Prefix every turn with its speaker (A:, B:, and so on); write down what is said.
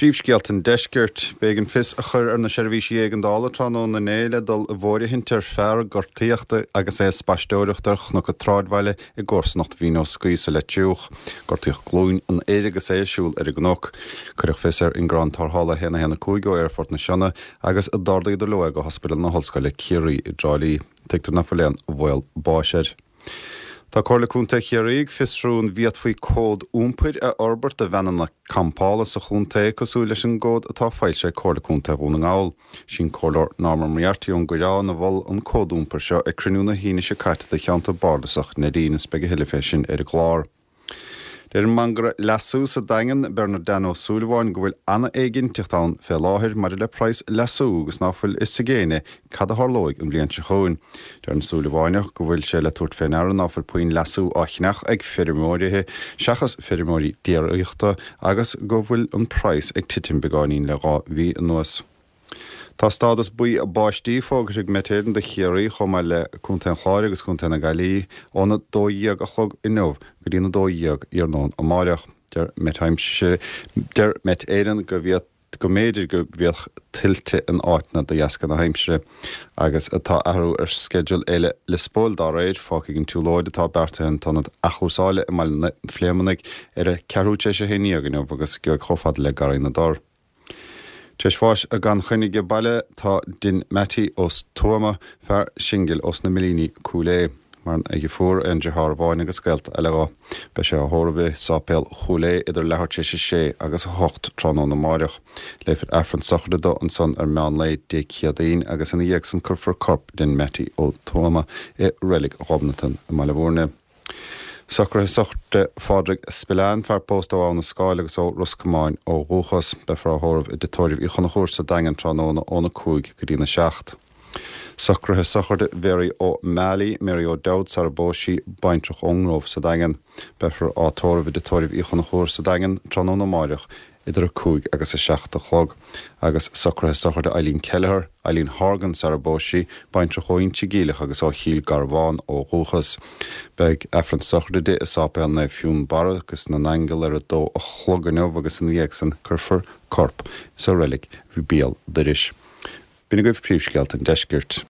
A: Príomhscéalta an Deiscirt. B'éigean fios a chur ar na seirbhísí éigeandála tráthnóna inné le dul i bhfóirithint ar fear a gortaíodh agus é ag spaisteoireacht ar chnoc an tsráidbhaile i gcomharsanacht Mhín Ó Scaoth sa Leitriúch. Gortaíodh glúin an fhir agus é ag siúl ar an gcnoc. Cuireadh fios ar ingearán tarrthála 1 1 5 ó Aerfort na Sionna agus d'ardaíodar leo é go hOspidéal na hOllscoile Ciarraí i dTrá Lí. Tuigtear ná fuil aon bhaol báis air. Tá Comhairle Contae Chiarraí ag fiosrú an bhféadfaí cód iompair a fhorbairt do veaineanna campála sa chontae, cosúil leis an gcód atá foilsithe ag Comhairle Contae Dhún na nGall. Is í an Comhairleoir Norma Moriarty ón gCoireán a mhol an cód iompair seo ag cruinniú na hAoine seo caite de cheantar bardasach Neidín is beidh a thuilleadh fé sin ar an gclár. Deir an mangaire leasú sa Daingean, Bernard Dan Ó Súilleabháin, go bhfuil an-éiginnteacht ann fé láthair maidir le praghas leasú agus ná fuil fhios ag éinne cad a tharlóidh an bhliain seo chugainn. Deir an Súilleabháineach go bhfuil sé le tabhairt fé ndeara ná fuil puinn leasú á cheannach ag feirmeoirithe seachas feirmeoirí déiríochta agus go bhfuil an praghas ag titim beagáinín le 2 mhí anuas. Tá stádas buí báistí fógartha ag Met Éireann do Chiarraí chomh maith le Contae an Chláir agus Contae na Gaillimhe óna 12 a chlog inniu go dtí na 12 iarnóin amáireach. Deir Met Deir Met Éireann go bhfiad go mb'fhéidir go bhféadfadh tuilte in áiteanna de dheasca na haimsire agus tá athrú ar sceideal Fhéile Liospóil dá réir. Fágfaidh an tsiúlóid atá beartaithe an t-ionad athchúrsáile i mBaile na Phléimeannaigh ar a ceathrú tar éis a haon dhéag inniu agus gheobhaidh chomh fada le Garraí na dTor. Tar éis bháis gan choinne age baile tá Din Mattie Ó Tuama, fear singil ós na Millíní, Cúil Aodha. Maireann a dheirfiúr, aon deartháir amháin agus gaolta eile dho. Beidh sé á thórramh i Sáipéal Chúil Aodha idir leathuair tar éis a sé agus a hocht tráthnóna amáireach. Léifear Aifreann sochraide dó ansan ar meán lae Dé Céadaoin agus ina dhiaidh san cuirfear corp Din Mattie Ó Tuama i Reilig Ghobnatan i mBaile Bhúirne. Socruithe sochraide Phádraig Spillane, fear pósta ó Abha na Scáil agus ó Ros Comáin ó dhúchas. Beifear á thórramh i dTigh Tórraimh Uí Chonchúir sa Daingean tráthnóna óna 5 go dtína 7. Socruithe sochraide Mhary O'Malley, Mary O'Dowd sara bpós sí, baintreach ón nGrove sa Daingean. Beifear á tórramh i dTigh Tórraimh Uí Chonchúir sa Daingean tráthnóna amáireach idir 5 agus 7 a chlog, agus socruithe sochraide Eileen Kelleher, Eileen Horgan sara bpós sí, baintreach ó Inse Geimhleach agus ó Chill Garbhán ó dhúchas. Beidh Aifreann sochraide di i Sáipéal Naomh Fionnbarra agus na nAingeal ar a dó a chlog inniu agus ina dhiaidh san cuirfear corp sa reilig Bhéal Dorais. B'in agaibh príomhscéalta an deiscirt.